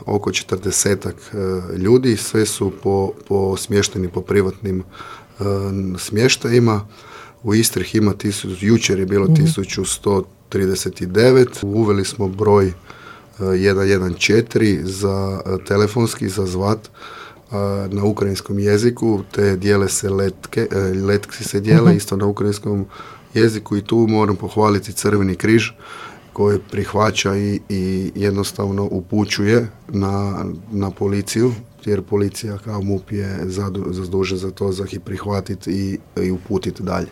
oko 40 ljudi, sve su smješteni po privatnim smještajima. U Istri ih ima jučer je bilo 1139. Uveli smo broj 114 za telefonski za zvat na ukrajinskom jeziku, te dijele se letki se dijele isto na ukrajinskom jeziku i tu moram pohvaliti Crveni križ koji prihvaća i jednostavno upućuje na policiju, jer policija kao MUP je zadužen za to, za ih prihvatiti i uputiti dalje.